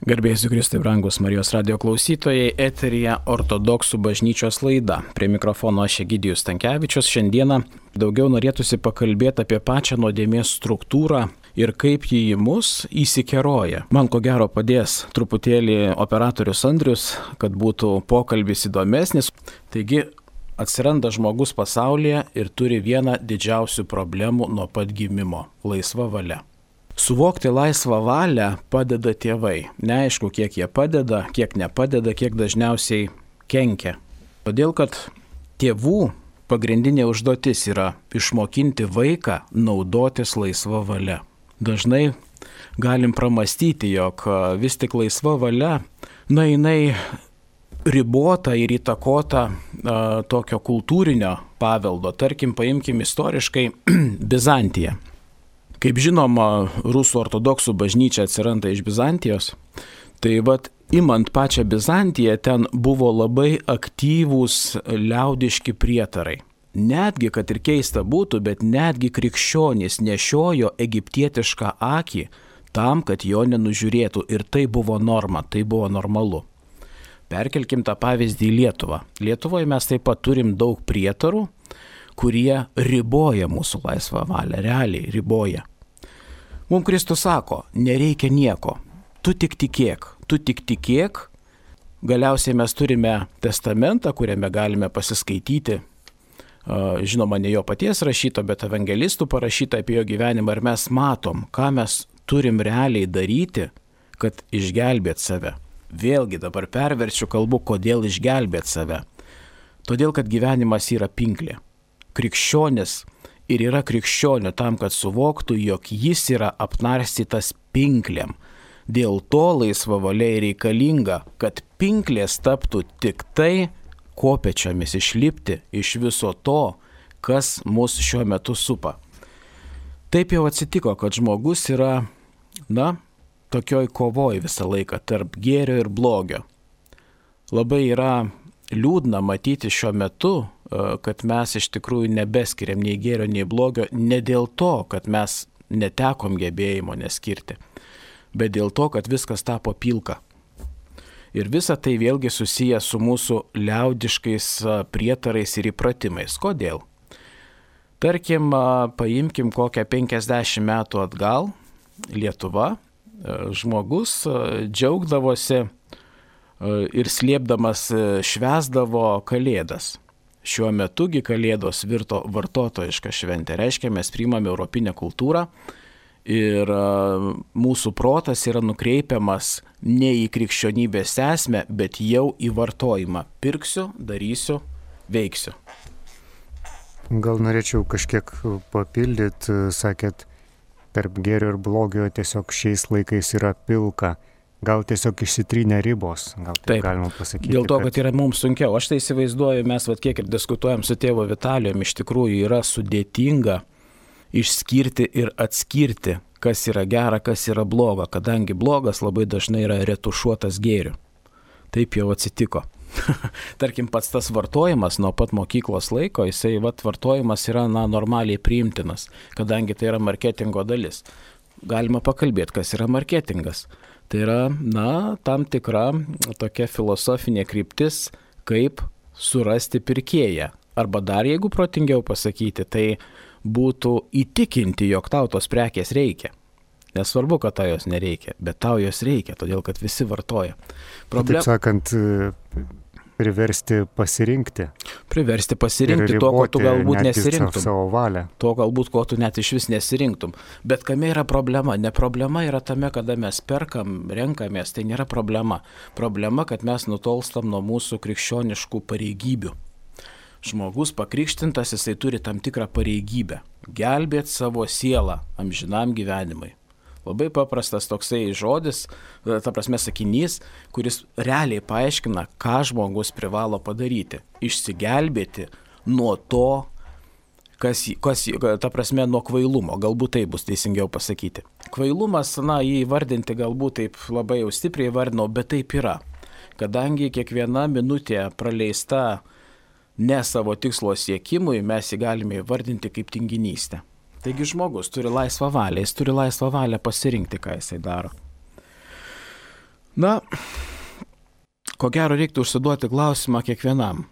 Garbėsiu Kristui, brangus Marijos radio klausytojai, eteryje Ortodoksų bažnyčios laida. Prie mikrofono aš Egidijus Stankevičius. Šiandieną daugiau norėtųsi pakalbėti apie pačią nuodėmės struktūrą ir kaip ji į mus įsikeroja. Man ko gero padės truputėlį operatorius Andrius, kad būtų pokalbis įdomesnis. Taigi atsiranda žmogus pasaulyje ir turi vieną didžiausių problemų nuo pat gimimo – laisva valia. Suvokti laisvą valią padeda tėvai. Neaišku, kiek jie padeda, kiek nepadeda, kiek dažniausiai kenkia. Todėl, kad tėvų pagrindinė užduotis yra išmokinti vaiką naudotis laisva valia. Dažnai galim pramastyti, jog vis tik laisva valia, jinai ribota ir įtakota tokio kultūrinio paveldo. Tarkim, paimkim istoriškai Bizantiją. Kaip žinoma, rusų ortodoksų bažnyčia atsiranda iš Bizantijos, tai imant pačią Bizantiją, ten buvo labai aktyvūs liaudiški prietarai. Netgi, kad ir keista būtų, bet netgi krikščionys nešiojo egiptietišką akį tam, kad jo nenužiūrėtų. Ir tai buvo norma, tai buvo normalu. Perkelkim tą pavyzdį į Lietuvą. Lietuvoje mes taip pat turim daug prietarų, kurie riboja mūsų laisvą valią, realiai riboja. Mums Kristus sako, nereikia nieko, tu tik tikėk. Galiausiai mes turime testamentą, kuriame galime pasiskaityti, žinoma, ne jo paties rašyto, bet evangelistų parašyta apie jo gyvenimą ir mes matom, ką mes turim realiai daryti, kad išgelbėt save. Vėlgi dabar perverčiu kalbu, kodėl išgelbėt save. Todėl, kad gyvenimas yra pinklė. Krikščionis ir yra krikščionių tam, kad suvoktų, jog jis yra apnarstytas pinklėm. Dėl to laisva valia reikalinga, kad pinklės taptų tik tai kopėčiomis išlipti iš viso to, kas mus šiuo metu supa. Taip jau atsitiko, kad žmogus yra, tokioj kovoj visą laiką tarp gėrio ir blogio. Labai yra liūdna matyti šiuo metu, kad mes iš tikrųjų nebeskiriam nei gėrio, nei blogio, ne dėl to, kad mes netekom gebėjimo neskirti, bet dėl to, kad viskas tapo pilka. Ir visa tai vėlgi susiję su mūsų liaudiškais prietarais ir įpratimais. Kodėl? Tarkim, paimkim kokią 50 metų atgal Lietuva, žmogus džiaugdavosi ir slėpdamas švęsdavo Kalėdas. Šiuo metugi Kalėdos virto vartotojišką šventę. Reiškia, mes priimame europinę kultūrą ir mūsų protas yra nukreipiamas ne į krikščionybės esmę, bet jau į vartojimą. Pirksiu, darysiu, veiksiu. Gal norėčiau kažkiek papildyti, sakėt, tarp gėrio ir blogio tiesiog šiais laikais yra pilka. Gal tiesiog išsitrynė ribos, gal taip galima pasakyti. Dėl to, kad yra mums sunkiau. Aš tai įsivaizduoju, mes kiek ir diskutuojam su tėvu Vitalijum, iš tikrųjų yra sudėtinga išskirti ir atskirti, kas yra gera, kas yra bloga, kadangi blogas labai dažnai yra retušuotas gėriu. Taip jau atsitiko. Tarkim, pats tas vartojimas nuo pat mokyklos laiko, jisai vartojimas yra normaliai priimtinas, kadangi tai yra marketingo dalis. Galima pakalbėti, kas yra marketingas. Tai yra, tam tikra tokia filosofinė kryptis, kaip surasti pirkėją. Arba dar, jeigu protingiau pasakyti, tai būtų įtikinti, jog tau tos prekės reikia. Nesvarbu, kad tau jos nereikia, bet tau jos reikia, todėl kad visi vartoja. Taip sakant, priversti pasirinkti. To, ko tu galbūt nesirinktum. Savo valią. To galbūt, ko tu net iš vis nesirinktum. Bet kame yra problema? Ne problema yra tame, kada mes perkam, renkamės, tai nėra problema. Problema, kad mes nutolstam nuo mūsų krikščioniškų pareigybių. Žmogus pakrikštintas, jisai turi tam tikrą pareigybę. Gelbėti savo sielą amžinam gyvenimui. Labai paprastas toksai žodis, sakinys, kuris realiai paaiškina, ką žmogus privalo padaryti. Išsigelbėti nuo to, nuo kvailumo. Galbūt tai bus teisingiau pasakyti. Kvailumas, jį įvardinti galbūt taip labai jau stipriai įvardinau, bet taip yra. Kadangi kiekviena minutė praleista ne savo tikslo siekimui, mes jį galime įvardinti kaip tinginystę. Taigi žmogus turi laisvą valią, jis turi laisvą valią pasirinkti, ką jisai daro. Na, ko gero reiktų užsiduoti klausimą kiekvienam.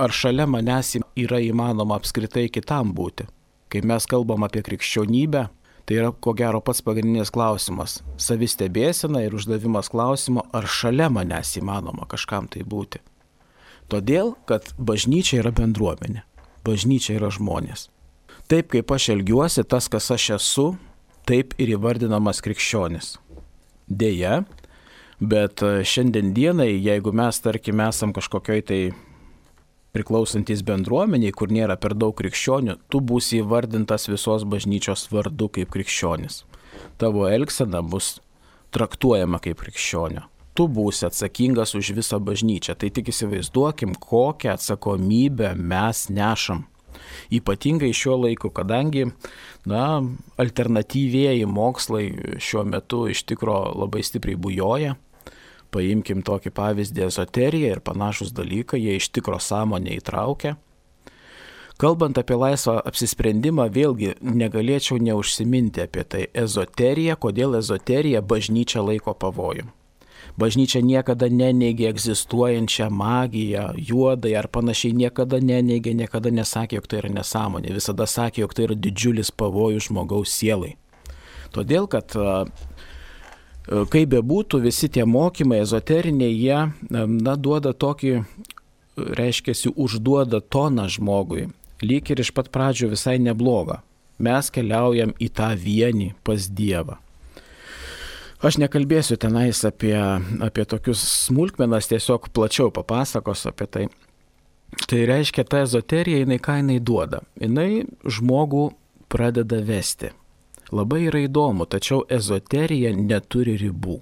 Ar šalia manęs yra įmanoma apskritai kitam būti? Kai mes kalbam apie krikščionybę, tai yra ko gero pats pagrindinis klausimas. Savistebėsena ir uždavimas klausimo, ar šalia manęs įmanoma kažkam tai būti. Todėl, kad bažnyčia yra bendruomenė. Bažnyčia yra žmonės. Taip kaip aš elgiuosi, tas, kas aš esu, taip ir įvardinamas krikščionis. Deja, bet šiandien dienai, jeigu mes, tarkim, esam kažkokioj tai priklausantis bendruomeniai, kur nėra per daug krikščionių, tu būsi įvardintas visos bažnyčios vardu kaip krikščionis. Tavo elgsena bus traktuojama kaip krikščionio. Tu būsi atsakingas už visą bažnyčią. Tai tik įsivaizduokim, kokią atsakomybę mes nešam. Ypatingai šiuo laiku, kadangi alternatyvieji mokslai šiuo metu iš tikro labai stipriai bujoja. Paimkim tokį pavyzdį ezoteriją ir panašus dalykai, jie iš tikro sąmonę įtraukia. Kalbant apie laisvą apsisprendimą, vėlgi negalėčiau neužsiminti apie tai. Ezoterija, kodėl ezoterija bažnyčia laiko pavojų. Bažnyčia niekada neneigė egzistuojančią magiją, juodai ar panašiai, niekada neneigė, niekada nesakė, jog tai yra nesąmonė. Visada sakė, jog tai yra didžiulis pavojus žmogaus sielai. Todėl, kad kaip bebūtų, visi tie mokymai ezoteriniai, jie duoda tokį, reiškiasi, užduoda toną žmogui. Lyg ir iš pat pradžių visai neblogą. Mes keliaujam į tą vienį pas Dievą. Aš nekalbėsiu tenais apie tokius smulkmenas, tiesiog plačiau papasakos apie tai. Tai reiškia, ta ezoterija, ką jinai duoda? Jinai žmogų pradeda vesti. Labai yra įdomu, tačiau ezoterija neturi ribų.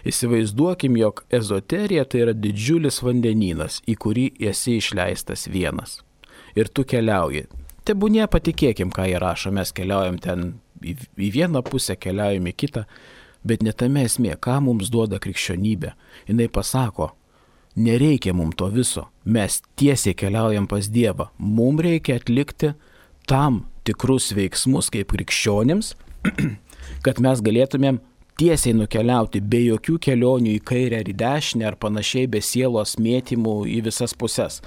Įsivaizduokim, jog ezoterija tai yra didžiulis vandenynas, į kurį esi išleistas vienas. Ir tu keliauji. Tebūnie patikėkim, ką jie rašo, mes keliaujam ten į vieną pusę, keliaujam į kitą. Bet ne tame esmė, ką mums duoda krikščionybė. Jinai pasako, nereikia mums to viso, mes tiesiai keliaujam pas Dievą. Mums reikia atlikti tam tikrus veiksmus kaip krikščionims, kad mes galėtumėm tiesiai nukeliauti be jokių kelionių į kairę ar į dešinę ar panašiai, be sielos mėtymų į visas puses.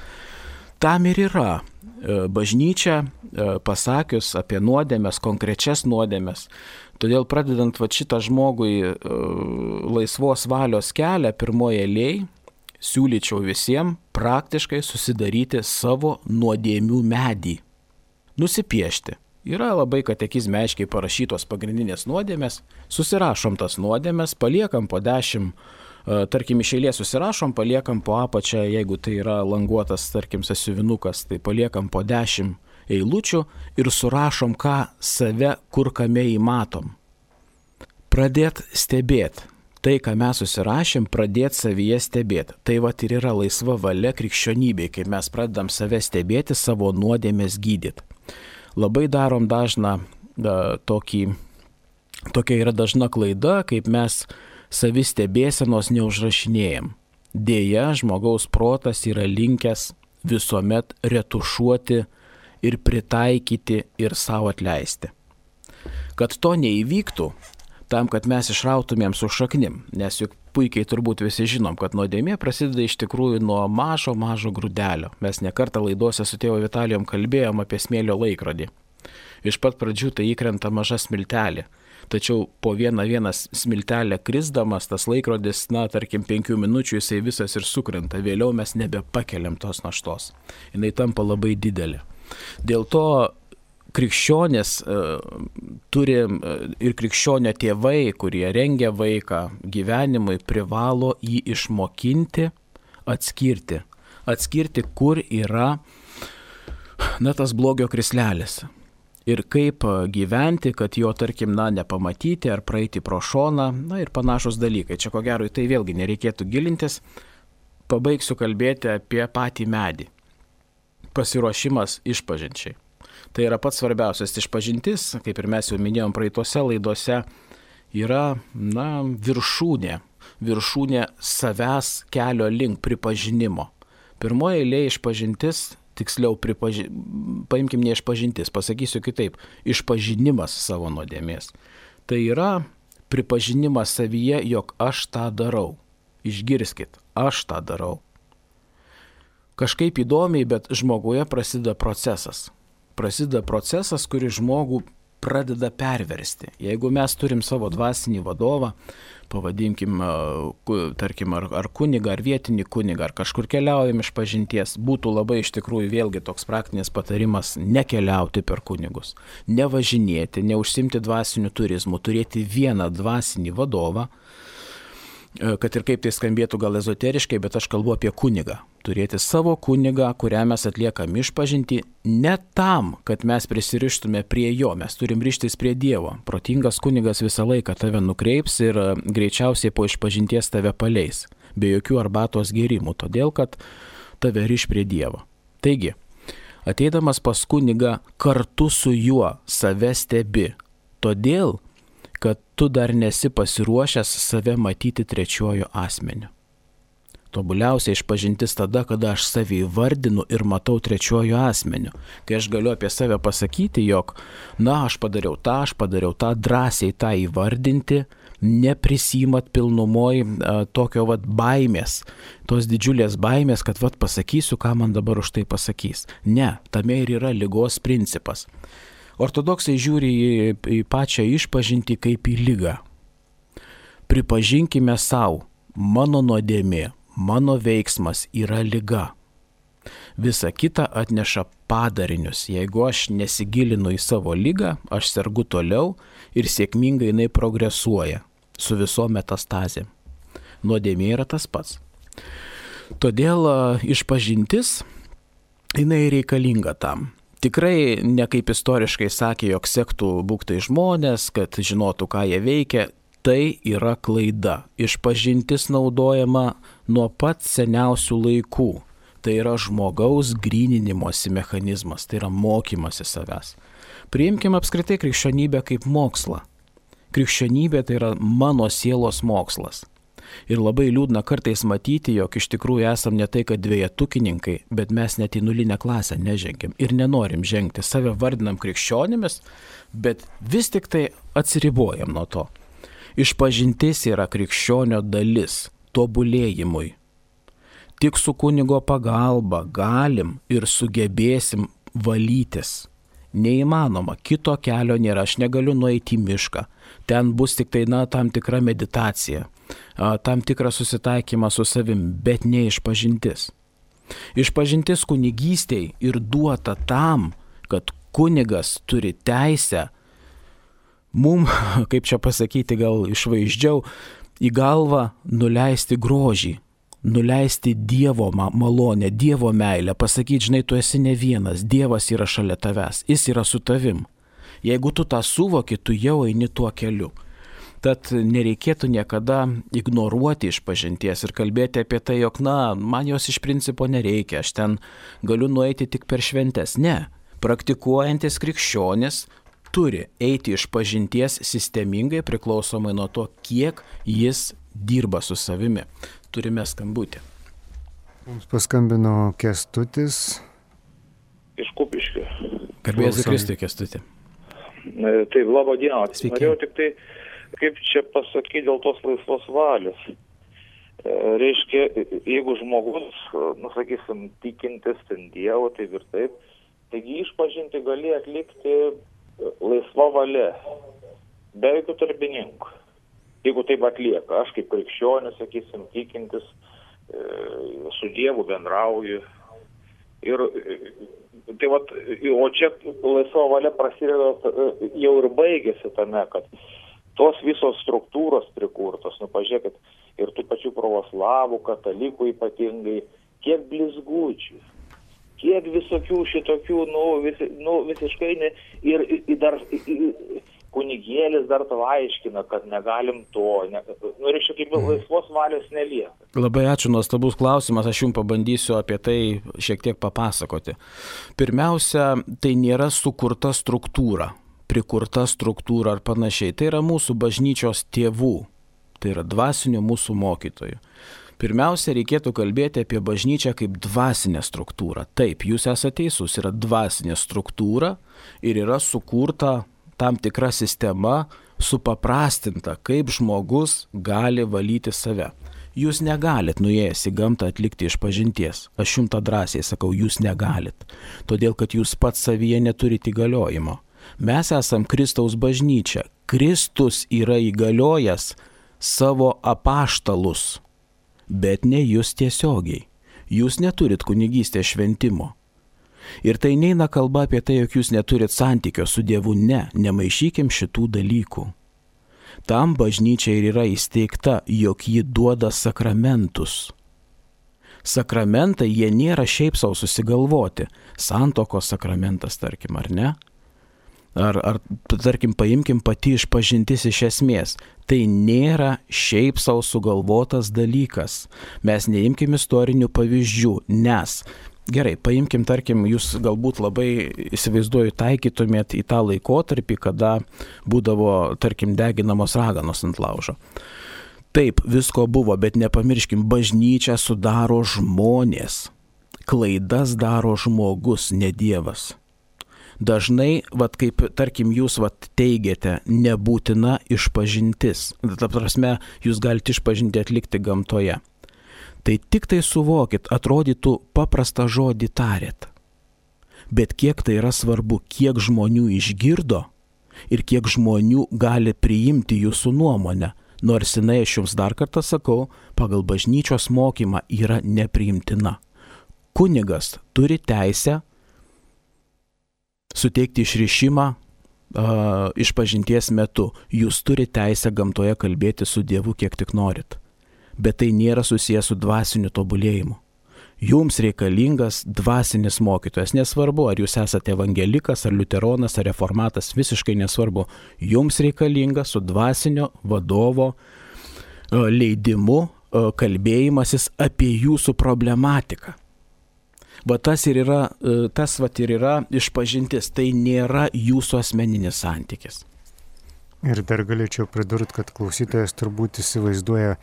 Tam ir yra bažnyčia pasakius apie nuodėmes, konkrečias nuodėmes. Todėl pradedant šitą žmogui laisvos valios kelią pirmoje eilėje, siūlyčiau visiems praktiškai susidaryti savo nuodėmių medį. Nusipiešti. Yra labai katekizme aiškiai parašytos pagrindinės nuodėmės, susirašom tas nuodėmės, paliekam po 10, tarkim iš eilės susirašom, paliekam po apačią, jeigu tai yra languotas, tarkim, sąsiuvinukas, tai paliekam po 10 eilučių ir surašom, ką save kur kame įmatom. Pradėt stebėt. Tai, ką mes susirašėm, pradėt savyje stebėt. Tai ir yra laisva valia krikščionybei, kai mes pradedam save stebėti, savo nuodėmės gydyti. Labai darom dažną tokia yra dažna klaida, kaip mes savistebėsenos neužrašinėjam. Deja, žmogaus protas yra linkęs visuomet retušuoti ir pritaikyti ir savo atleisti. Kad to neįvyktų, tam, kad mes išrautumėm su šaknim, nes juk puikiai turbūt visi žinom, kad nuodėmė prasideda iš tikrųjų nuo mažo grūdelio. Mes nekartą laidose su tėvu Vitalijom kalbėjom apie smėlio laikrodį. Iš pat pradžių tai įkrenta maža smiltelė. Tačiau po vieną smiltelę krisdamas tas laikrodis, tarkim 5 minučių jisai visas ir sukrenta. Vėliau mes nebepakeliam tos naštos. Jinai tampa labai didelė. Dėl to krikščionės turi ir krikščionio tėvai, kurie rengia vaiką gyvenimui, privalo jį išmokinti, atskirti. Atskirti, kur yra tas blogio krislelis. Ir kaip gyventi, kad jo, tarkim, nepamatyti ar praeiti pro šoną, ir panašus dalykai. Čia ko gero į tai vėlgi nereikėtų gilintis. Pabaigsiu kalbėti apie patį medį. Pasiruošimas išpažinčiai. Tai yra pats svarbiausias išpažintis, kaip ir mes jau minėjom praeitose laidose, yra viršūnė. Viršūnė savęs kelio link pripažinimo. Pirmoje eilėje išpažintis, tiksliau paimkim ne išpažintis, pasakysiu kitaip, išpažinimas savo nuodėmės. Tai yra pripažinimas savyje, jog aš tą darau. Išgirskit, aš tą darau. Kažkaip įdomiai, bet žmoguje prasideda procesas. Prasideda procesas, kuris žmogų pradeda perversti. Jeigu mes turim savo dvasinį vadovą, pavadinkim, tarkim, ar kunigą, ar vietinį kunigą, ar kažkur keliaujam iš pažinties, būtų labai iš tikrųjų vėlgi toks praktinis patarimas nekeliauti per kunigus, nevažinėti, neužsimti dvasiniu turizmu, turėti vieną dvasinį vadovą, kad ir kaip tai skambėtų gal ezoteriškai, bet aš kalbu apie kunigą. Turėti savo kunigą, kurią mes atliekam išpažintį, ne tam, kad mes prisirištume prie jo, mes turim rištis prie Dievo. Protingas kunigas visą laiką tave nukreips ir greičiausiai po išpažinties tave paleis, be jokių arbatos gėrimų, todėl kad tave riš prie Dievo. Taigi, ateidamas pas kunigą, kartu su juo save stebi, todėl, kad tu dar nesi pasiruošęs save matyti trečiuoju asmeniu. Tobuliausia išpažintis tada, kada aš save įvardinu ir matau trečiuoju asmeniu. Kai aš galiu apie save pasakyti, jog, aš padariau tą, drąsiai tą įvardinti, neprisimat pilnumoj tokio baimės, tos didžiulės baimės, kad pasakysiu, ką man dabar už tai pasakys. Ne, tame ir yra ligos principas. Ortodoksai žiūri į pačią išpažintį kaip į ligą. Pripažinkime savo, mano nuodėmė, mano veiksmas yra liga. Visa kita atneša padarinius. Jeigu aš nesigilinu į savo ligą, aš sergu toliau ir sėkmingai jinai progresuoja su visom metastazėm. Nuodėmė yra tas pats. Todėl išpažintis, jinai reikalinga tam. Tikrai ne kaip istoriškai sakė, jog sektų būktai žmonės, kad žinotų, ką jie veikia. Tai yra klaida. Išpažintis naudojama nuo pat seniausių laikų. Tai yra žmogaus gryninimosi mechanizmas, tai yra mokymasi savęs. Priimkime apskritai krikščionybę kaip mokslą. Krikščionybė tai yra mano sielos mokslas. Ir labai liūdna kartais matyti, jog iš tikrųjų esam ne tai, kad dvejetukininkai, bet mes net į nulinę klasę nežengiam ir nenorim žengti. Save vardinam krikščionimis, bet vis tik tai atsiribojam nuo to. Išpažintis yra krikščionio dalis tobulėjimui. Tik su kunigo pagalba galim ir sugebėsim valytis. Neįmanoma, kito kelio nėra, aš negaliu nueiti į mišką. Ten bus tik tai tam tikra meditacija, tam tikras susitaikymas su savim, bet ne išpažintis. Išpažintis kunigystėj ir duota tam, kad kunigas turi teisę kaip čia pasakyti, gal išvaizdžiau, į galvą nuleisti grožį, nuleisti Dievo malonę, Dievo meilę, pasakyti, žinai, tu esi ne vienas, Dievas yra šalia tavęs, jis yra su tavim. Jeigu tu tą suvoki, tu jau eini tuo keliu. Tad nereikėtų niekada ignoruoti išpažinties ir kalbėti apie tai, jog, man jos iš principo nereikia, aš ten galiu nueiti tik per šventes. Ne, praktikuojantis krikščionis turi eiti išpažinties sistemingai priklausomai nuo to, kiek jis dirba su savimi. Turime skambutį. Mums paskambino Kęstutis. Iš Kupiškio. Garbės Kristui, Kęstuti. Taip, laba diena. Sveiki. Norėjau tik tai, kaip čia pasakyti dėl tos laisvos valios. Reiškia, jeigu žmogus, sakysim, tikintis ten Dievo, taip ir taip, taigi išpažinti gali atlikti laisva valia, be jokių darbininkų. Jeigu taip atlieka, aš kaip krikščionis, sakysim, tikintis, su Dievu bendrauju. Ir tai o čia laisva valia prasideda jau ir baigėsi tame, kad tos visos struktūros prikurtos, pažiūrėkit, ir tų pačių pravoslavų, katalikų ypatingai, kiek blizgučių, kiek visokių šitokių, visiškai ne, ir dar kunigėlis dar to aiškina, kad negalim to, reiškia, kaip laisvos valios nelieka. Labai ačiū, nuostabus klausimas, aš jums pabandysiu apie tai šiek tiek papasakoti. Pirmiausia, tai nėra sukurta struktūra, prikurta struktūra ar panašiai, tai yra mūsų bažnyčios tėvų, tai yra dvasinių mūsų mokytojų. Pirmiausia, reikėtų kalbėti apie bažnyčią kaip dvasinę struktūrą. Taip, jūs esate teisus, yra dvasinė struktūra ir yra sukurta tam tikra sistema supaprastinta, kaip žmogus gali valyti save. Jūs negalit nuėjęs į gamtą atlikti išpažinties. Aš jums tą drąsiai sakau, jūs negalit. Todėl, kad jūs pats savyje neturite įgaliojimo. Mes esam Kristaus bažnyčia. Kristus yra įgaliojęs savo apaštalus, bet ne jūs tiesiogiai. Jūs neturit kunigystės šventimo. Ir tai neina kalba apie tai, jog jūs neturit santykio su Dievu. Ne, nemaišykim šitų dalykų. Tam bažnyčia ir yra įsteigta, jog ji duoda sakramentus. Sakramentai jie nėra šiaip savo susigalvoti. Santuokos sakramentas, tarkim, ar ne? Ar tarkim, paimkim pati išpažintis iš esmės. Tai nėra šiaip savo sugalvotas dalykas. Mes neimkim istorinių pavyzdžių, nes gerai, paimkim, tarkim, jūs galbūt labai įsivaizduoju taikytumėt į tą laikotarpį, kada būdavo, tarkim, deginamos raganos ant laužo. Taip, visko buvo, bet nepamirškim, bažnyčią sudaro žmonės. Klaidas daro žmogus, ne Dievas. Dažnai, kaip, tarkim, jūs teigiate, nebūtina išpažintis. Ta prasme, jūs galite išpažinti atlikti gamtoje. Tai tik tai suvokit, atrodytų paprastą žodį tarėt. Bet kiek tai yra svarbu, kiek žmonių išgirdo ir kiek žmonių gali priimti jūsų nuomonę, nors jinai, aš jums dar kartą sakau, pagal bažnyčios mokymą yra nepriimtina. Kunigas turi teisę suteikti išrišimą išpažinties metu. Jūs turite teisę gamtoje kalbėti su Dievu kiek tik norit. Bet tai nėra susijęs su dvasiniu tobulėjimu. Jums reikalingas dvasinis mokytojas. Nesvarbu, ar jūs esate evangelikas, ar liuteronas, ar reformatas, visiškai nesvarbu. Jums reikalingas su dvasinio vadovo leidimu kalbėjimasis apie jūsų problematiką. Tas ir yra išpažintis. Tai nėra jūsų asmeninis santykis. Ir dar galėčiau pridurti, kad klausytojas turbūt įsivaizduoja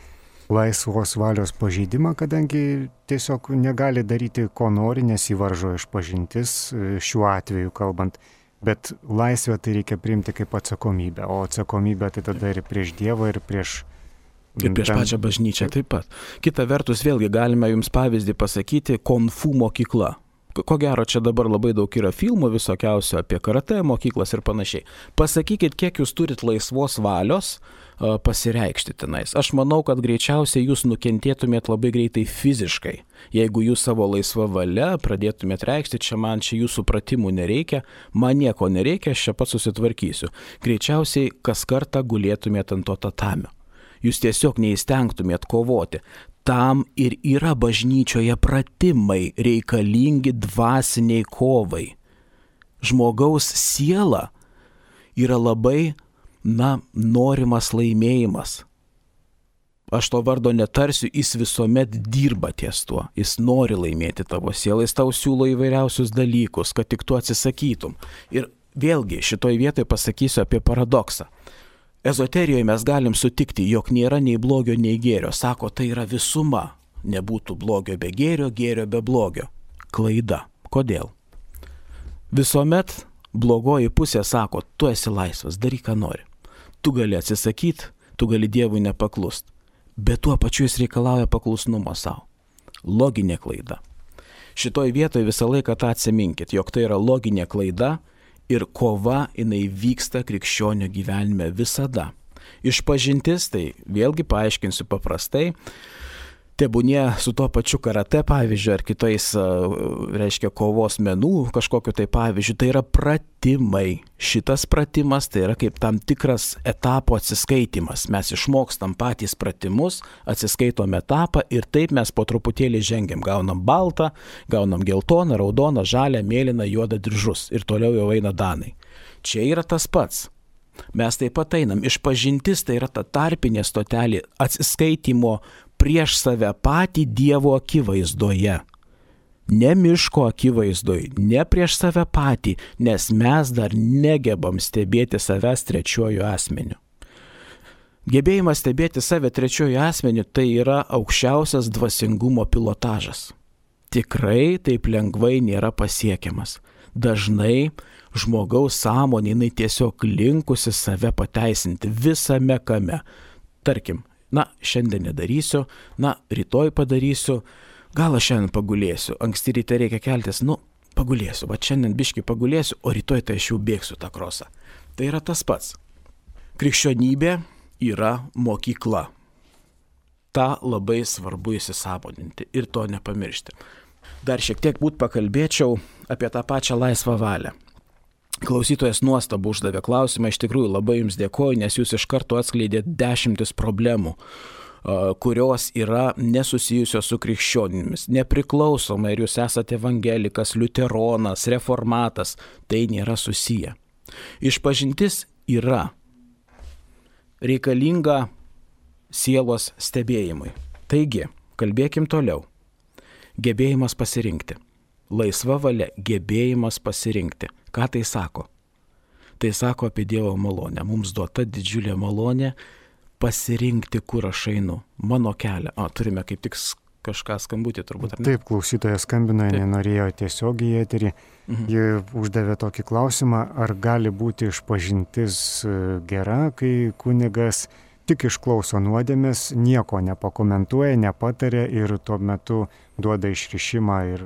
laisvos valios pažeidimą, kadangi tiesiog negali daryti, ko nori, nes įvaržo išpažintis, šiuo atveju kalbant. Bet laisvę tai reikia priimti kaip atsakomybę, o atsakomybę tai tada ir prieš Dievą, ir prieš pačią bažnyčią taip pat. Kita vertus, vėlgi galime jums pavyzdį pasakyti, konfu mokykla. Ko gero, čia dabar labai daug yra filmų visokiausių apie karate mokyklas ir panašiai. Pasakykit, kiek jūs turit laisvos valios pasireikšti tenais. Aš manau, kad greičiausiai jūs nukentėtumėt labai greitai fiziškai. Jeigu jūs savo laisvą valią pradėtumėt reikšti, čia jūsų pratimų nereikia, man nieko nereikia, aš čia pats susitvarkysiu. Greičiausiai kas kartą gulėtumėt ant to tatamio. Jūs tiesiog neįstengtumėt kovoti. Tam ir yra bažnyčioje pratimai reikalingi dvasiniai kovai. Žmogaus siela yra labai, norimas laimėjimas. Aš to vardo netarsiu, jis visuomet dirba ties tuo. Jis nori laimėti tavo sielą, jis tau siūlo įvairiausius dalykus, kad tik tu atsisakytum. Ir vėlgi šitoj vietoje pasakysiu apie paradoksą. Ezoterijoje mes galim sutikti, jog nėra nei blogio, nei gėrio. Sako, tai yra visuma. Nebūtų blogio be gėrio, gėrio be blogio. Klaida. Kodėl? Visuomet blogoji pusė sako, tu esi laisvas, daryk ką nori. Tu gali atsisakyti, tu gali Dievui nepaklust. Bet tuo pačiu jis reikalauja paklusnumo savo. Loginė klaida. Šitoj vietoje visą laiką tą atsiminkit, jog tai yra loginė klaida. Ir kova, jinai vyksta krikščionio gyvenime visada. Išpažintis, tai vėlgi paaiškinsiu paprastai, tebūnie su tuo pačiu karate pavyzdžiu ar kitais, reiškia, kovos menų kažkokiu tai pavyzdžiu, tai yra pratimai. Šitas pratimas tai yra kaip tam tikras etapo atsiskaitimas. Mes išmokstam patys pratimus, atsiskaitom etapą ir taip mes po truputėlį žengiam. Gaunam baltą, gaunam geltoną, raudoną, žalią, mėlyną, juodą diržus ir toliau jau eina danai. Čia yra tas pats. Mes taip pat einam. Išpažintis tai yra ta tarpinė stotelė atsiskaitimo prieš save patį Dievo akivaizdoje. Ne miško akivaizdoje, ne prieš save patį, nes mes dar negebam stebėti savęs trečiuoju asmeniu. Gebėjimas stebėti save trečiuoju asmeniu tai yra aukščiausias dvasingumo pilotažas. Tikrai taip lengvai nėra pasiekiamas. Dažnai žmogaus sąmonė jinai tiesiog linkusi save pateisinti visame kame. Tarkim, šiandien nedarysiu, rytoj padarysiu, gal aš šiandien pagulėsiu, anksti ryte reikia keltis, pagulėsiu, šiandien biškį pagulėsiu, o rytoj tai aš jau bėgsiu tą krosą. Tai yra tas pats. Krikščionybė yra mokykla. Ta labai svarbu įsisąmoninti ir to nepamiršti. Dar šiek tiek pakalbėčiau apie tą pačią laisvą valią. Klausytojas nuostabu uždavė klausimą, iš tikrųjų labai jums dėkoju, nes jūs iš karto atskleidėt 10 problemų, kurios yra nesusijusios su krikščionimis. Nepriklausomai, ar jūs esate evangelikas, liuteronas, reformatas, tai nėra susiję. Išpažintis yra reikalinga sielos stebėjimui. Taigi, kalbėkim toliau. Gebėjimas pasirinkti. Laisva valia, gebėjimas pasirinkti. Ką tai sako? Tai sako apie Dievo malonę. Mums duota didžiulė malonė pasirinkti, kur aš einu. Mano kelią. Turime kaip tik kažką skambutį turbūt. Taip, klausytojas skambino, nenorėjo tiesiog į eterį. Ji uždavė tokį klausimą, ar gali būti išpažintis gera, kai kunigas tik išklauso nuodėmės, nieko nepakomentuoja, nepatarė ir tuo metu duoda išrišimą ir...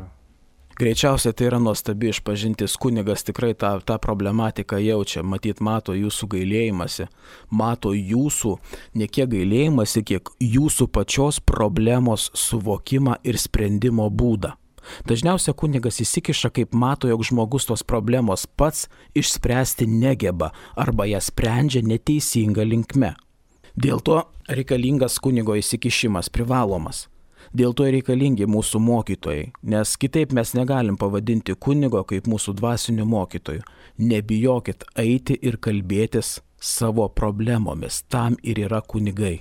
Greičiausiai tai yra nuostabi išpažintis. Kunigas tikrai tą problematiką jaučia, mato jūsų gailėjimąsi, mato jūsų ne kiek gailėjimąsi, kiek jūsų pačios problemos suvokimą ir sprendimo būdą. Dažniausiai kunigas įsikiša, kaip mato, jog žmogus tos problemos pats išspręsti negeba arba ją sprendžia neteisinga linkme. Dėl to reikalingas kunigo įsikišimas, privalomas. Dėl to reikalingi mūsų mokytojai, nes kitaip mes negalim pavadinti kunigo kaip mūsų dvasinių mokytojų. Nebijokit eiti ir kalbėtis savo problemomis. Tam ir yra kunigai,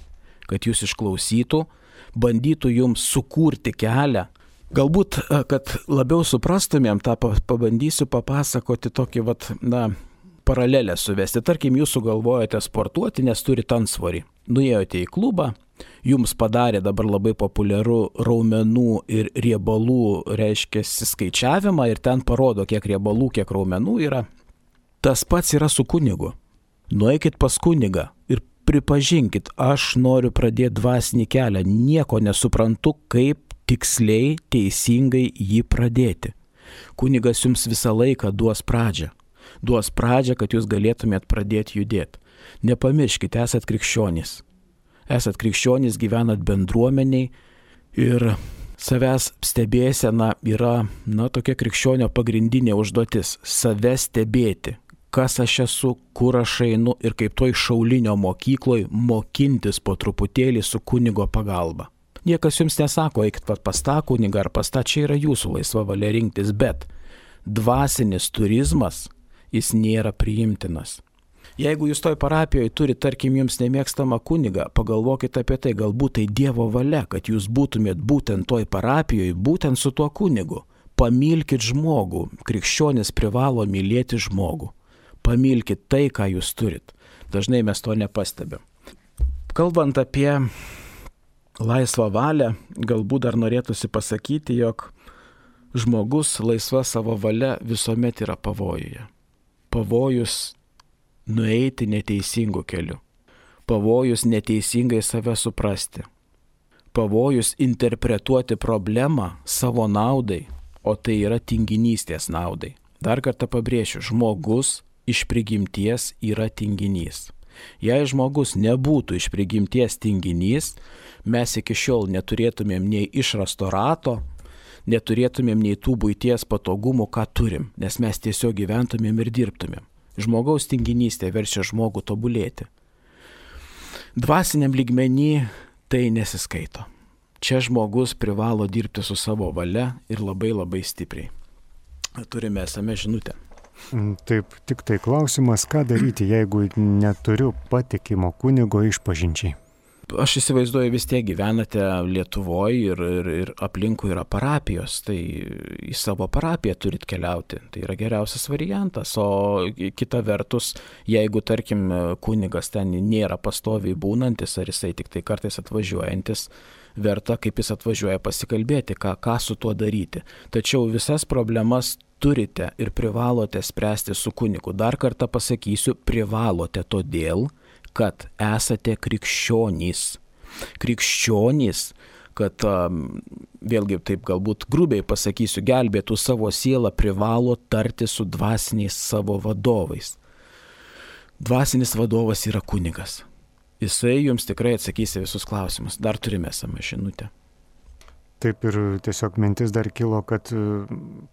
kad jūs išklausytų, bandytų jums sukurti kelią. Galbūt, kad labiau suprastumėm, tą pabandysiu papasakoti tokį paralelę suvesti. Tarkim, jūs sugalvojate sportuoti, nes turite antsvorį. Nuėjote į klubą, jums padarė dabar labai populiaru raumenų ir riebalų, skaičiavimą ir ten parodo, kiek riebalų, kiek raumenų yra. Tas pats yra su kunigu. Nueikit pas kunigą ir pripažinkit, aš noriu pradėti dvasinį kelią, nieko nesuprantu, kaip tiksliai, teisingai jį pradėti. Kunigas jums visą laiką duos pradžią, kad jūs galėtumėt pradėti judėti. Nepamirškite, esat krikščionys. Esat krikščionys, gyvenat bendruomeniai ir savęs stebėsena yra, tokia krikščionio pagrindinė užduotis - save stebėti. Kas aš esu, kur aš einu ir kaip toj šaulinio mokykloje mokintis po truputėlį su kunigo pagalba. Niekas jums nesako, eikit pas tą kunigą ar pas tą, čia yra jūsų laisva valia rinktis, bet dvasinis turizmas, jis nėra priimtinas. Jeigu jūs toj parapijoje turite, tarkim, jums nemėgstamą kunigą, pagalvokite apie tai, galbūt tai Dievo valia, kad jūs būtumėt būtent toj parapijoje, būtent su tuo kunigu. Pamilkit žmogų, krikščionis privalo mylėti žmogų. Pamilkit tai, ką jūs turit. Dažnai mes to nepastebim. Kalbant apie laisvą valią, galbūt dar norėtųsi pasakyti, jog žmogus laisva savo valia visuomet yra pavojuje. Pavojus nueiti neteisingų kelių. Pavojus neteisingai save suprasti. Pavojus interpretuoti problemą savo naudai, o tai yra tinginystės naudai. Dar kartą pabrėšiu, žmogus iš prigimties yra tinginys. Jei žmogus nebūtų iš prigimties tinginys, mes iki šiol neturėtumėm nei išrasto rato, neturėtumėm nei tų buities patogumų, ką turim, nes mes tiesiog gyventumėm ir dirbtumėm. Žmogaus tinginystė verčia žmogų tobulėti. Dvasiniam lygmenį tai nesiskaito. Čia žmogus privalo dirbti su savo valia ir labai labai stipriai. Turime esame žinutę. Taip, tik tai klausimas, ką daryti, jeigu neturiu patikimo kunigo išpažinčiai. Aš įsivaizduoju, vis tiek gyvenate Lietuvoje ir aplinkui yra parapijos, tai į savo parapiją turit keliauti. Tai yra geriausias variantas, o kita vertus, jeigu, tarkim, kunigas ten nėra pastoviai būnantis, ar jisai tik tai kartais atvažiuojantis, verta, kaip jis atvažiuoja pasikalbėti, ką su tuo daryti. Tačiau visas problemas turite ir privalote spręsti su kunigu. Dar kartą pasakysiu, privalote todėl, kad esate krikščionys. Krikščionys, kad vėlgi taip galbūt grubiai pasakysiu, gelbėtų savo sielą, privalo tarti su dvasiniais savo vadovais. Dvasinis vadovas yra kunigas. Jisai jums tikrai atsakys į visus klausimus. Dar turime esamą žinutę. Taip ir tiesiog mintis dar kilo, kad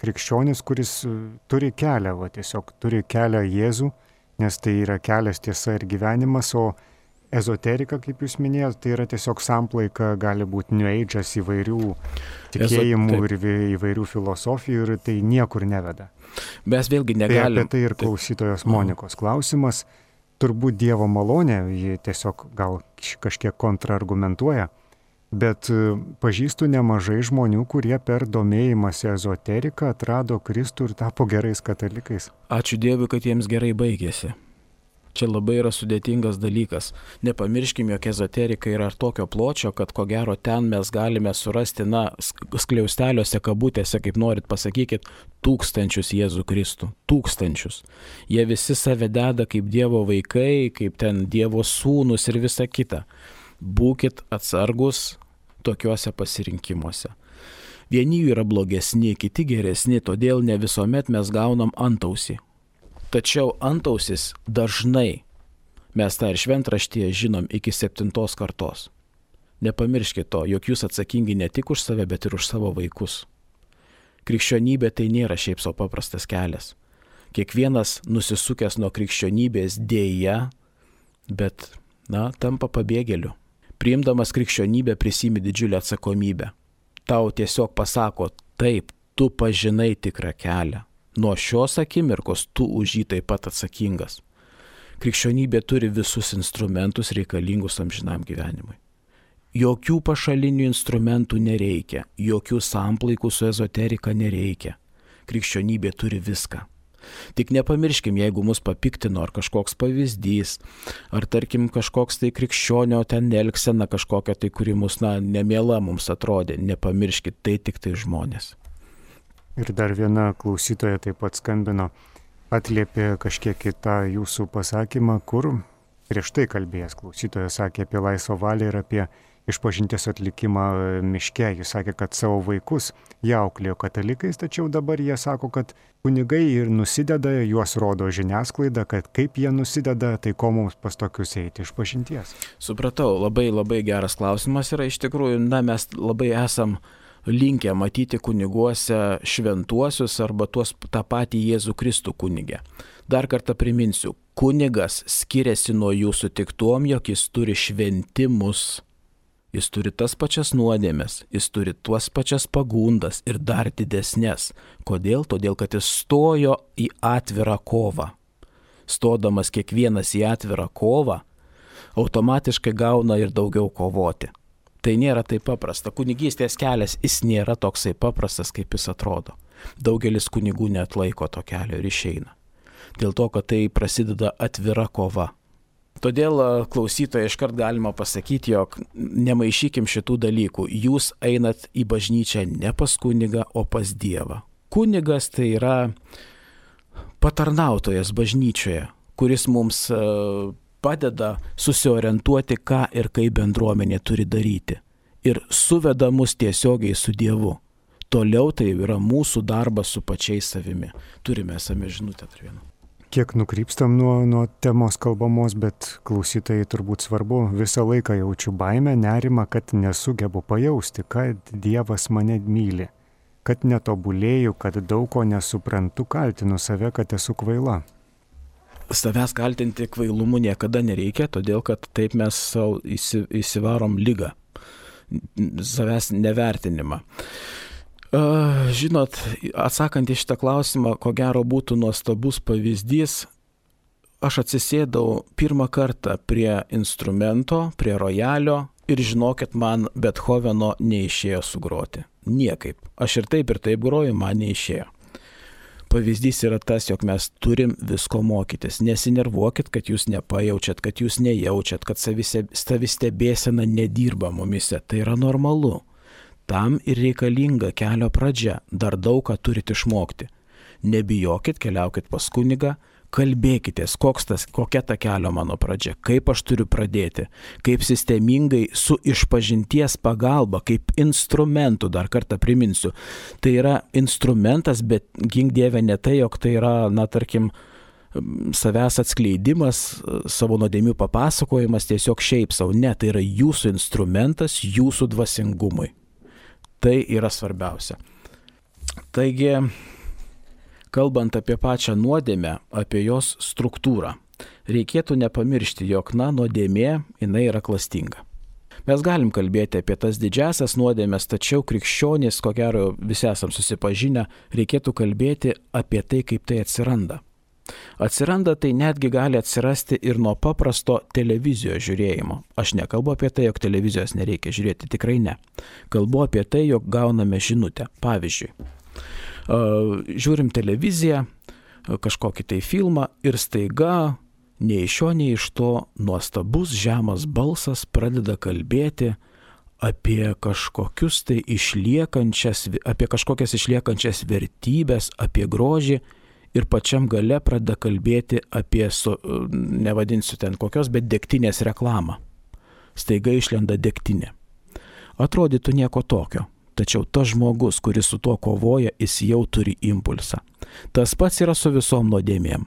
krikščionis, kuris turi kelią, tiesiog turi kelią Jėzų, nes tai yra kelias, tiesa ir gyvenimas, o ezoterika, kaip jūs minėjote, tai yra tiesiog samplaika, gali būti New Age'as įvairių tikėjimų ir įvairių filosofijų ir tai niekur neveda. Mes vėlgi negalim. Tai apie tai ir klausytojos Monikos klausimas. Turbūt Dievo malonė, ji tiesiog gal kažkiek kontraargumentuoja, bet pažįstu nemažai žmonių, kurie per domėjimąsi ezoteriką atrado Kristų ir tapo gerais katalikais. Ačiū Dievui, kad jiems gerai baigėsi. Čia labai yra sudėtingas dalykas. Nepamirškim, jog ezoterika yra tokio pločio, kad ko gero ten mes galime surasti, skliausteliuose, kabutėse, kaip norit pasakykit, tūkstančius Jėzų Kristų. Tūkstančius. Jie visi save deda kaip Dievo vaikai, kaip ten Dievo sūnus ir visa kita. Būkit atsargus tokiuose pasirinkimuose. Vieni jų yra blogesni, kiti geresni, todėl ne visuomet mes gaunam antausį. Tačiau antausis dažnai, mes tą ir šventraštyje žinom, iki 7 kartos. Nepamirškite to, jog jūs atsakingi ne tik už save, bet ir už savo vaikus. Krikščionybė tai nėra šiaip savo paprastas kelias. Kiekvienas nusisukęs nuo krikščionybės dėja, bet, tampa pabėgėliu. Priimdamas krikščionybę prisimi didžiulę atsakomybę. Tau tiesiog pasako, taip, tu pažinai tikrą kelią. Nuo šios akimirkos tu už jį taip pat atsakingas. Krikščionybė turi visus instrumentus reikalingus amžinam gyvenimui. Jokių pašalinių instrumentų nereikia, jokių samplaikų su ezoterika nereikia. Krikščionybė turi viską. Tik nepamirškim, jeigu mus papiktino ar kažkoks pavyzdys, ar tarkim kažkoks tai krikščionio ten elgsena kažkokia tai, kuri mus nemiela mums atrodė, nepamirškit, tai tik tai žmonės. Ir dar viena klausytoja taip pat skambino, atliepė kažkiek į tą jūsų pasakymą, kur prieš tai kalbėjęs klausytoja sakė apie laisvą valią ir apie išpažinties atlikimą miške. Jis sakė, kad savo vaikus jie auklėjo katalikais, tačiau dabar jie sako, kad kunigai ir nusideda, juos rodo žiniasklaida, kad kaip jie nusideda, tai ko mums pas tokius eiti išpažinties. Supratau, labai labai geras klausimas yra iš tikrųjų, mes labai esam linkę matyti kuniguose šventuosius arba tą patį Jėzų Kristų kunigę. Dar kartą priminsiu, kunigas skiriasi nuo jūsų tik tuom, jog jis turi šventimus, jis turi tas pačias nuodėmes, jis turi tuos pačias pagundas ir dar didesnės. Kodėl? Todėl, kad jis stojo į atvirą kovą. Stodamas kiekvienas į atvirą kovą, automatiškai gauna ir daugiau kovoti. Tai nėra taip paprasta. Kunigystės kelias, jis nėra toksai paprastas, kaip jis atrodo. Daugelis kunigų neatlaiko to kelio ir išeina. Dėl to, kad tai prasideda atvira kova. Todėl klausytojai iškart galima pasakyti, jog nemaišykim šitų dalykų. Jūs einat į bažnyčią ne pas kunigą, o pas Dievą. Kunigas tai yra patarnautojas bažnyčioje, kuris mums padeda susiorientuoti, ką ir kaip bendruomenė turi daryti. Ir suveda mus tiesiogiai su Dievu. Toliau tai yra mūsų darbas su pačiais savimi. Turime esame žinutę dar vieną. Kiek nukrypstam nuo temos kalbamos, bet klausytojai turbūt svarbu, visą laiką jaučiu baimę, nerimą, kad nesugebu pajausti, kad Dievas mane myli, kad netobulėju, kad daug ko nesuprantu, kaltinu save, kad esu kvaila. Savęs kaltinti kvailumu niekada nereikia, todėl kad taip mes savo įsivarom ligą, savęs nevertinimą. Žinot, atsakant į šitą klausimą, ko gero būtų nuostabus pavyzdys, aš atsisėdau pirmą kartą prie instrumento, prie rojalio ir žinokit, man Bethoveno neišėjo sugroti. Niekaip. Aš ir taip groju, man neišėjo. Pavyzdys yra tas, jog mes turim visko mokytis. Nesinervuokit, kad jūs nepajaučiat, kad jūs nejaučiat, kad savistebėsena nedirba mumise. Tai yra normalu. Tam ir reikalinga kelio pradžia. Dar daug ką turit išmokti. nebijokit, keliaukit pas kunigą, kalbėkitės, kokia ta kelio mano pradžia, kaip aš turiu pradėti, kaip sistemingai su išpažinties pagalba, kaip instrumentu, dar kartą priminsiu. Tai yra instrumentas, bet gink Dieve ne tai, jog tai yra, tarkim, savęs atskleidimas, savo nuodėmių papasakojimas tiesiog šiaip savo. Ne, tai yra jūsų instrumentas, jūsų dvasingumui. Tai yra svarbiausia. Taigi, kalbant apie pačią nuodėmę, apie jos struktūrą, reikėtų nepamiršti, jog nuodėmė, jinai yra klastinga. Mes galim kalbėti apie tas didžiasias nuodėmės, tačiau krikščionys, ko gero visi esam susipažinę, reikėtų kalbėti apie tai, kaip tai atsiranda. Atsiranda tai netgi gali atsirasti ir nuo paprasto televizijos žiūrėjimo. Aš nekalbu apie tai, jog televizijos nereikia žiūrėti, tikrai ne. Kalbu apie tai, jog gauname žinutę. Pavyzdžiui, žiūrim televiziją, kažkokį tai filmą ir staiga nei iš šio, nei iš to nuostabus žemas balsas pradeda kalbėti apie kažkokias išliekančias vertybės, apie grožį ir pačiam gale pradeda kalbėti apie, nevadinsiu ten kokios, bet degtinės reklamą. Staiga išlenda degtinė. Atrodytų nieko tokio. Tačiau tas žmogus, kuris su tuo kovoja, jis jau turi impulsą. Tas pats yra su visom nuodėmėm.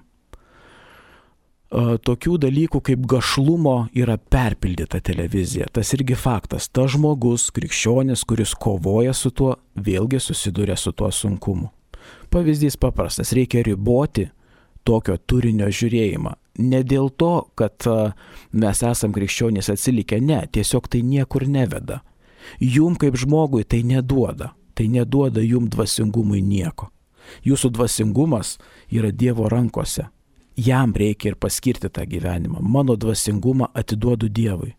Tokių dalykų kaip gašlumo yra perpildyta televizija. Tas irgi faktas. Tas žmogus, krikščionis, kuris kovoja su tuo, vėlgi susiduria su tuo sunkumu. Pavyzdys paprastas. Reikia riboti tokio turinio žiūrėjimą. Ne dėl to, kad mes esam krikščionys atsilikę, ne. Tiesiog tai niekur neveda. Jum kaip žmogui tai neduoda jum dvasingumui nieko. Jūsų dvasingumas yra Dievo rankose. Jam reikia ir paskirti tą gyvenimą. Mano dvasingumą atiduodu Dievui.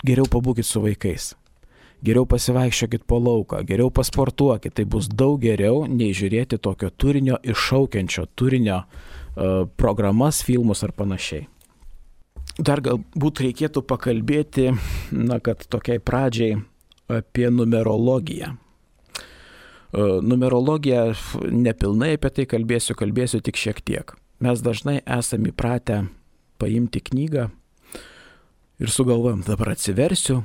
Geriau pabūkit su vaikais. Geriau pasivaikščiokit po lauką, geriau pasportuokit. Tai bus daug geriau nei žiūrėti tokio turinio, iššaukiančio turinio programas, filmus ar panašiai. Dar galbūt reikėtų pakalbėti, kad tokiai pradžiai apie numerologiją. Numerologiją nepilnai apie tai kalbėsiu tik šiek tiek. Mes dažnai esame įpratę paimti knygą ir sugalvojam, dabar atsiversiu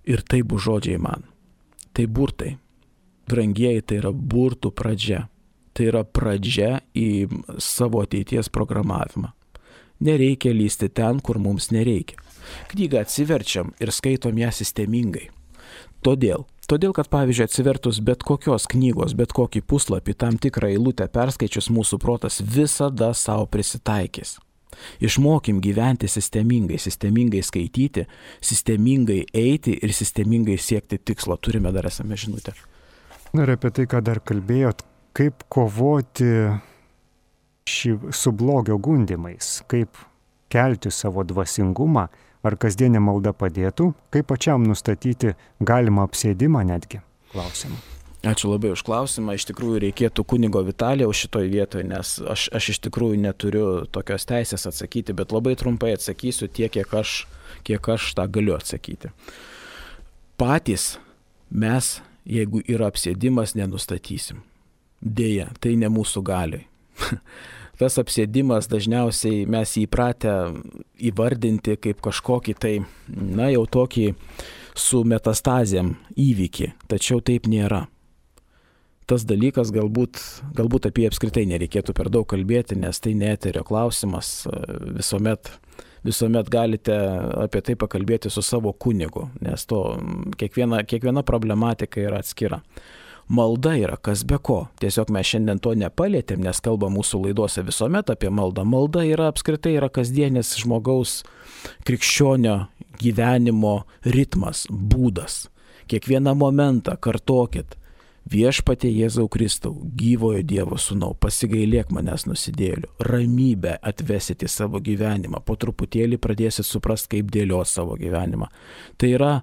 ir tai bus žodžiai man. Tai burtai. Brangieji, tai yra burtų pradžia. Tai yra pradžia į savo ateities programavimą. Nereikia lysti ten, kur mums nereikia. Knygą atsiverčiam ir skaitom ją sistemingai. Todėl, kad pavyzdžiui atsivertus bet kokios knygos, bet kokį puslapį, tam tikrą eilutę perskaičius, mūsų protas visada savo prisitaikys. Išmokim gyventi sistemingai skaityti, sistemingai eiti ir sistemingai siekti tikslo. Turime dar esame žinutę. Ir apie tai, ką dar kalbėjot, kaip kovoti su blogio gundimais, kaip kelti savo dvasingumą, ar kasdienė malda padėtų, kaip pačiam nustatyti galimą apsėdimą netgi? Klausimą. Ačiū labai už klausimą. Iš tikrųjų reikėtų kunigo Vitalijaus šitoj vietoje, nes aš iš tikrųjų neturiu tokios teisės atsakyti, bet labai trumpai atsakysiu tiek, kiek aš tą galiu atsakyti. Patys mes, jeigu yra apsėdimas, nenustatysim. Deja, tai ne mūsų galiai. Tas apsėdimas dažniausiai mes įpratę įvardinti kaip kažkokį tai, jau tokį su metastazėm įvykį, tačiau taip nėra. Tas dalykas galbūt apie apskritai nereikėtų per daug kalbėti, nes tai ne eterio klausimas, visuomet galite apie tai pakalbėti su savo kunigu, nes kiekviena problematika yra atskira. Malda yra kas be ko. Tiesiog mes šiandien to nepalietėm, nes kalba mūsų laidose visuomet apie maldą. Malda yra apskritai kasdienis žmogaus krikščionio gyvenimo ritmas, būdas. Kiekvieną momentą kartokit. Viešpatie Jėzau Kristau, gyvojo Dievo sūnau, pasigailėk manęs nusidėlių. Ramybę atvesit į savo gyvenimą. Po truputėlį pradėsit suprasti, kaip dėlios savo gyvenimą. Tai yra,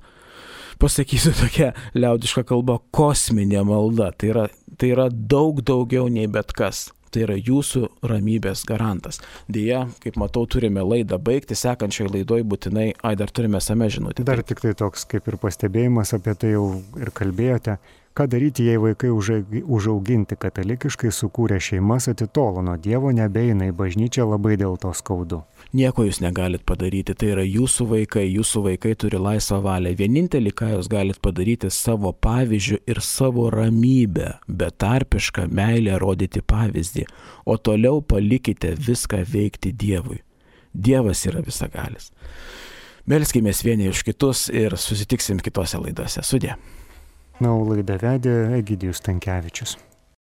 pasakysiu tokia liaudiška kalba, kosminė malda. Tai yra daug daugiau nei bet kas. Tai yra jūsų ramybės garantas. Deja, kaip matau, turime laidą baigti, sekančioje laidoje būtinai, dar turime same žinutę. Dar tik tai toks kaip ir pastebėjimas, apie tai jau ir kalbėjote, Ką daryti, jei vaikai užauginti katalikiškai, sukūrė šeimas, atitolo nuo Dievo, nebeina į bažnyčią, labai dėl to skaudu? Nieko jūs negalit padaryti, tai yra jūsų vaikai turi laisvą valią. Vienintelį, ką jūs galit padaryti, savo pavyzdžių ir savo ramybę, betarpišką meilę rodyti pavyzdį, o toliau palikite viską veikti Dievui. Dievas yra visagalis. Melskimės vieni už kitus ir susitiksim kitose laidose. Sudie. Na, o laidą vedė Egidijus Stankevičius.